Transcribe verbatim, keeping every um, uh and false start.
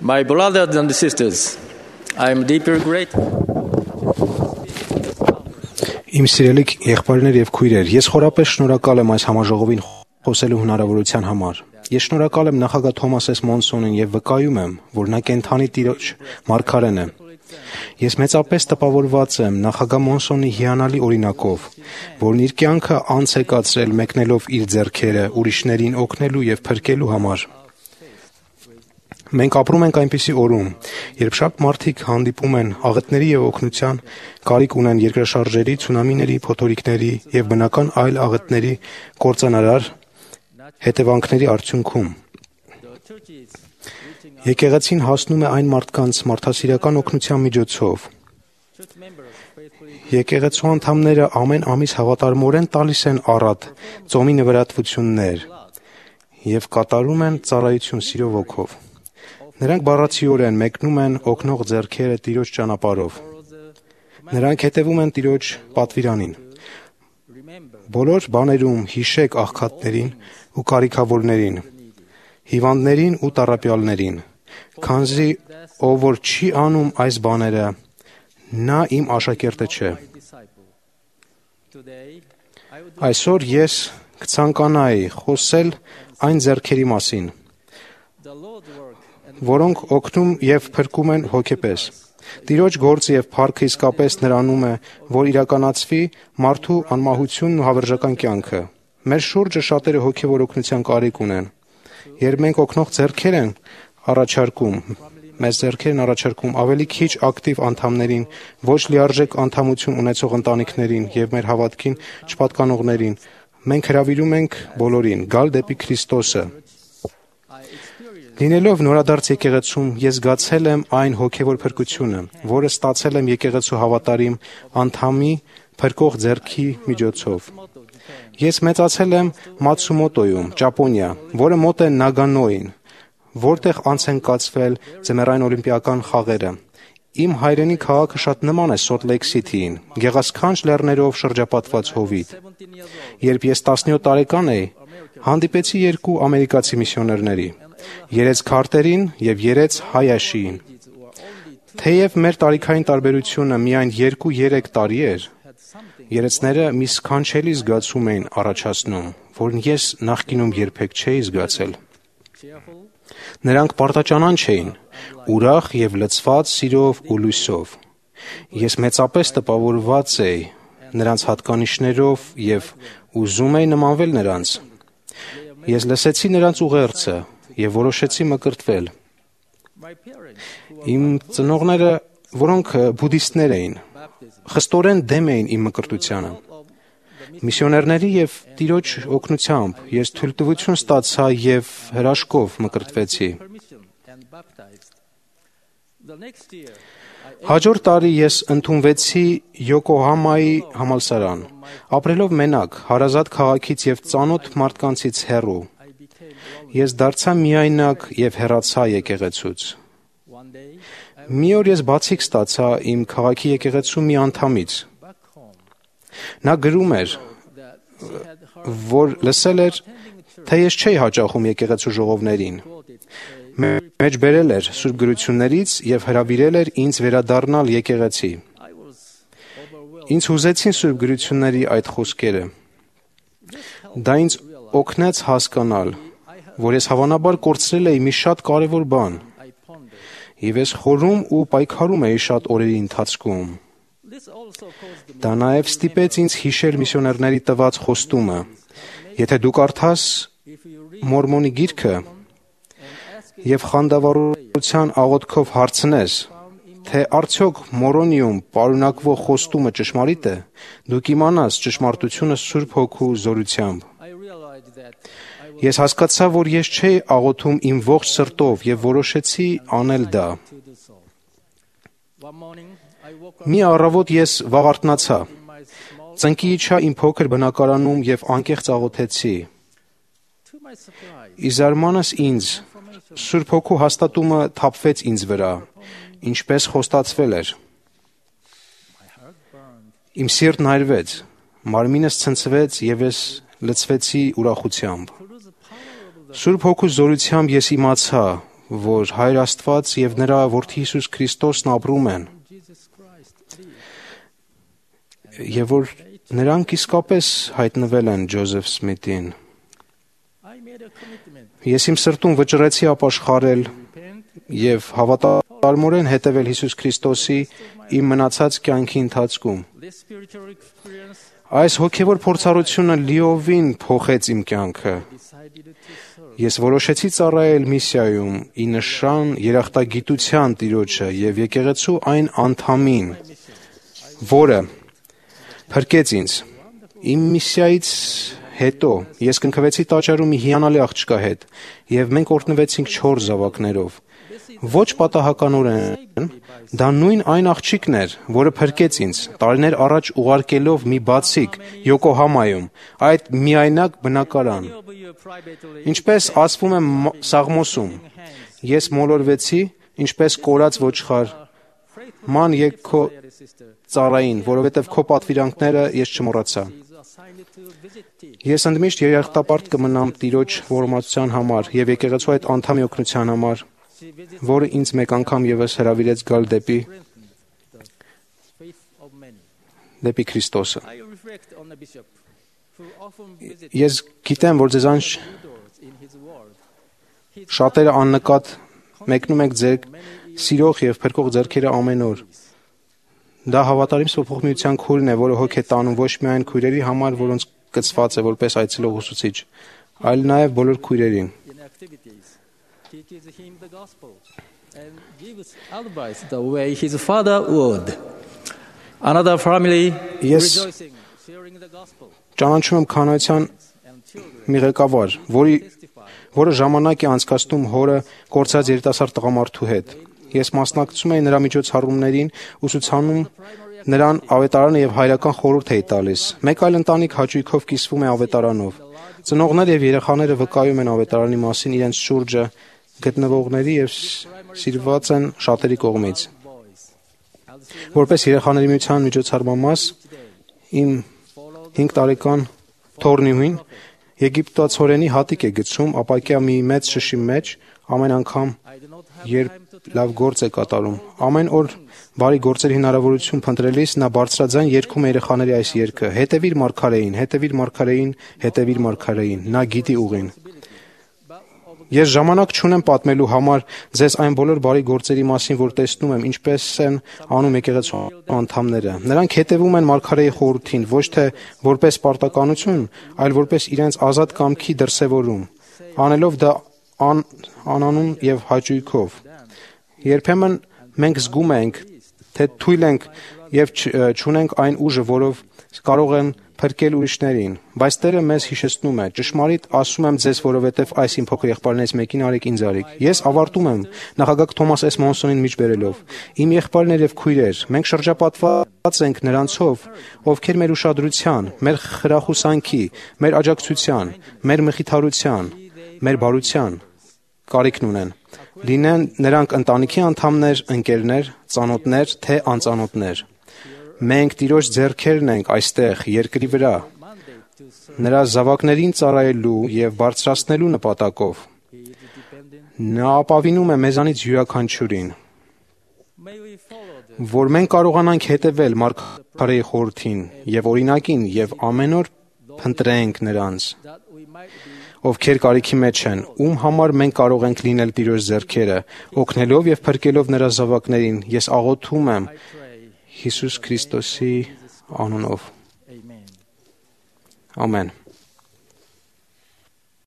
My brothers and sisters, I am deeply grateful. Իմ սիրելի եղբայրներ եւ քույրեր, ես խորապես շնորհակալ եմ այս համաժողովին խոսելու հնարավորության համար։ Ես շնորհակալ եմ նախագահ Թոմաս Էս Մոնսոնին եւ վկայում եմ, որ նա կենթանի Տիրոջ մարգարեն է։ Ես մեծապես տպավորված եմ նախագահ Մոնսոնի հիանալի օրինակով, որն իր կյանքը անց է կացրել մեկնելով իր ձեռքերը ուրիշներին օգնելու եւ փրկելու համար։ Մենք ապրում ենք այնպիսի օրում, երբ շատ մարդիկ հանդիպում են աղետների եւ օգնության, կարիք ունեն երկրաշարժերի, ցունամիների, փոթորիկների եւ բնական այլ աղետների կործանարար հետևանքների արդյունքում։ Եկեղեցին հասնում է այն մարդկանց մարդասիրական օգնության միջոցով։ Եկեղեցու անդամները ամեն ամիս հավատարմորեն տալիս են առատ ծոմի նվիրատվություններ եւ կատարում են ծառայություն սիրո ոգով։ Նրանք բառացիորեն մեկնում են օգնող ձեռքերը Տիրոջ ճանապարհով։ Նրանք հետևում են Տիրոջ պատվիրանին։ Բոլոր բաներում հիշեք աղքատներին ու կարիքավորներին, հիվանդներին ու տառապյալներին, քանզի ով որ չի անում այս բաները, նա իմ աշակերտը չէ։ Այսօր ես կցանկանայի խոսել այն ձեռքերի մասին, որոնք օգնում եւ փրկում են հոգեպես։ Տիրոջ գործը եւ փառքը իսկապես նրանում է, որ իրականացվի մարդու անմահությունն ու հավերժական կյանքը։ Մեր շուրջը շատերը հոգեվոր օգնության կարիք ունեն։ Երբ մենք օգնող ձեռքեր են առաջարկում, մեզ ձեռքերն առաջարկում ավելի քիչ ակտիվ անդամներին, ոչ լիարժեք անդամություն ունեցող ընտանիքներին եւ մեր հավատքին չպատկանողներին, մենք հրավիրում ենք բոլորին գալ դեպի Քրիստոսը։ Լինելով նորադարձ եկեղեցում, ես զգացել եմ այն հոգևոր փրկությունը, որը ստացել եմ եկեղեցու հավատարիմ անդամի փրկող ձեռքի միջոցով։ Ես մեծացել եմ Մացումոտոյում, Ճապոնիա, որը մոտ է Նագանոյին, որտեղ անց են կացվել ձմեռային օլիմպիական խաղերը։ Իմ հայրենի քաղաքը շատ նման է Սոլտ Լեյք Սիթիին, գեղասքանչ լեռներով շրջապատված հովիտ։ Երբ ես տասնյոթ տարեկան էի, հանդիպեցի երկու ամերիկացի միսիոներների՝ Երեց Քարտերին եւ Երեց Հայաշիին։ Թեև մեր տարիքային տարբերությունը միայն երկու-երեք տարի էր, երեցները մի սքանչելի զգացում էին առաջացնում, որն ես նախկինում երբեք չէի զգացել։ Նրանք պարտաճանանչ էին, ուրախ եւ լցված սիրով ու լույսով։ Ես մեծապես տպավորված էի նրանց հատկանիշներով եւ ուզում էի նմանվել նրանց։ Ես լսեցի նրանց ուղերձը եւ որոշեցի մկրտվել։ Իմ ծնողները, որոնք բուդդիստներ էին, խստորեն դեմ էին իմ մկրտությանը։ Միսիոներների եւ Տիրոջ օգնությամբ ես թույլտվություն ստացա եւ հրաշքով մկրտվեցի։ Հաջորդ տարի ես ընդունվեցի Յոկոհամայի համալսարան, ապրելով մենակ, հարազատ քաղաքից եւ ծանոթ մարդկանցից հեռու։ Ես դարձա միայնակ եւ հեռացա եկեղեցուց։ Մի օր ես բացիկ ստացա իմ քաղաքի եկեղեցու մի անդամից։ Նա գրում էր, որ լսել էր, թե ես չէի հաճախում եկեղեցու ժողովներին։ Մեջ բերել էր Սուրբ գրություններից եւ հրավիրել էր ինձ վերադառնալ եկեղեցի։ Ինձ հուզեցին Սուրբ գրությունների այդ խոսքերը։ Դա ինձ օգնեց հասկանալ, որ ես հավանաբար կորցրել էի մի շատ կարևոր բան, եւ ես խորում ու պայքարում էի շատ օրերի ընթացքում։ Դա նաեւ ստիպեց ինձ հիշել միսիոներների տված խոստումը. եթե դու կարդաս Մորմոնի գիրքը եւ խանդավառության աղոթքով հարցնես, թե արդյոք Մորոնիում պարունակվող խոստումը ճշմարիտ է, դու կիմանաս ճշմարտությունը Սուրբ Հոգու զորությամբ։ Ես հասկացա, որ ես չէի աղոթում իմ ողջ սրտով եւ որոշեցի անել դա։ Մի առավոտ ես վաղարթնացա, ծնկի իջա իմ փոքր բնակարանում եւ անկեղծ աղոթեցի։ Ի զարմանս ինձ, Սուրբ Հոգու հաստատումը թափվեց ինձ վրա, ինչպես խոստացվել էր։ Իմ սիրտն այրվեց, մարմինս ցնցվեց եւ ես լցվեցի ուրախությամբ։ Սուրբ Հոգու զորությամբ ես իմացա, որ Հայր Աստված եւ նրա Որդի Հիսուս Քրիստոսն ապրում են, եւ որ նրանք իսկապես հայտնվել են Ջոզեֆ Սմիթին։ Ես իմ սրտում վճռեցի ապաշխարել եւ հավատարմորեն հետևել Հիսուս Քրիստոսի իմ մնացած կյանքի ընթացքում։ Այս հոգևոր փորձառությունը լիովին փոխեց իմ կյանքը։ Ես որոշեցի ծառայել միսիայում ի նշան երախտագիտության Տիրոջը եւ եկեղեցու այն անդամին, որը փրկեց ինձ։ Իմ միսիայից հետո ես կնքվեցի տաճարում մի հիանալի աղջկա հետ եւ մենք օրհնվեցինք չորս զավակներով։ Ոչ պատահականորեն դա նույն այն աղջիկն էր, որը փրկեց ինձ տարիներ առաջ ուղարկելով մի բացիկ Յոկոհամայում այդ միայնակ բնակարան։ Ինչպես ասվում է Սաղմոսում, ես մոլորվեցի, ինչպես կորած ոչխար, ման եկ քո ծառային, որովհետև քո պատվիրանքները ես չմոռացա։ Ես ընդմիշտ երախտապարտ կմնամ Տիրոջ ողորմածության համար եւ եկեղեցու այդ անդամի օգնության համար, որը ինձ մեկ անգամ եւս հրավիրեց գալ դեպի դեպի Քրիստոսը։ Ես գիտեմ, որ ձեզանց շատերը աննկատ մեկնում եք ձեր սիրող եւ փրկող ձեռքերը ամեն օր։ Դա հավատարիմ սփոխմիության քույրն է, որը հոգ է տանում ոչ միայն քույրերի համար, որոնց կցված է որպես այցելող ուսուցիչ, այլ նաեւ բոլոր քույրերին։ The way his father would. Another family rejoicing, sharing the gospel. Ճանաչում եմ քանայության մի ղեկավար, որի որը ժամանակ է անցկացնում հորը կորցած երիտասարդ տղամարդու հետ։ Ես մասնակցում էի նրա միջոցառումներին, ուսուցանում նրան ավետարանը եւ հայրական խորհուրդ էի տալիս։ Մեկ այլ ընտանիք հաճույքով կիսվում է ավետարանով։ Ծնողներ եւ երեխաները վկայում են ավետարանի մասին իրենց շուրջը գտնվողների եւ սիրված են շատերի կողմից։ Որպես երեխաների միության միջոցառման մաս իմ հինգ տարեկան թոռնիուհին եգիպտացորենի հատիկ է գցում ապակյա մի մեծ շշի մեջ ամեն անգամ, երբ լավ գործ է կատարում։ Ամեն օր բարի գործերի հնարավորություն փնտրելիս նա բարձրաձայն երգում է երեխաների այս երգը. «Հետևիր մարգարեին, հետևիր մարգարեին, հետևիր մարգարեին»։ Նա գիտի ուղին։ Ես ժամանակ չունեմ պատմելու համար ձեզ այն բոլոր բարի գործերի մասին, որ տեսնում եմ, ինչպես են անում եկեղեցու անդամները։ Նրանք հետևում են մարգարեի խորհրդին, ոչ թե որպես պարտականություն, այլ որպես իրենց ազատ կամքի դրսևորում, անելով դա ան, անանուն եւ հաճույքով։ Երբեմն մենք զգում ենք, թե թույլ ենք եւ չունենք այն ուժը, որով կարող են փրկել ուրիշներին, բայց Տերը մեզ հիշեցնում է. ճշմարիտ ասում եմ ձեզ, որովհետև այս իմ փոքր եղբայրներից մեկին արեք ինձ արեք։ Ես ավարտում եմ նախագահ Թոմաս Էս Մոնսոնին միջբերելով. Իմ եղբայրներ եւ քույրեր, մենք շրջապատված ենք նրանցով, ովքեր մեր ուշադրության, մեր խրախուսանքի, մեր աջակցության, մեր մխիթարության, մեր բարության կարիքն ունեն։ Լինեն նրանք ընտանիքի անդամներ, ընկերներ, ծանոթներ, թե անծանոթներ։ Մենք Տիրոջ ձեռքերն ենք այստեղ երկրի վրա, նրա զավակներին ծառայելու եւ բարձրացնելու նպատակով։ Նա ապավինում է մեզանից յուրաքանչյուրին, որ մենք կարողանանք հետևել մարգարեի խորհրդին եւ օրինակին եւ ամեն օր փնտրենք նրանց, ովքեր կարիքի մեջ են, ում համար մենք կարող ենք լինել Տիրոջ ձեռքերը, օգնելով եւ փրկելով նրա զավակներին։ Ես աղոթում եմ Հիսուս Քրիստոսի անունով։ Ամեն։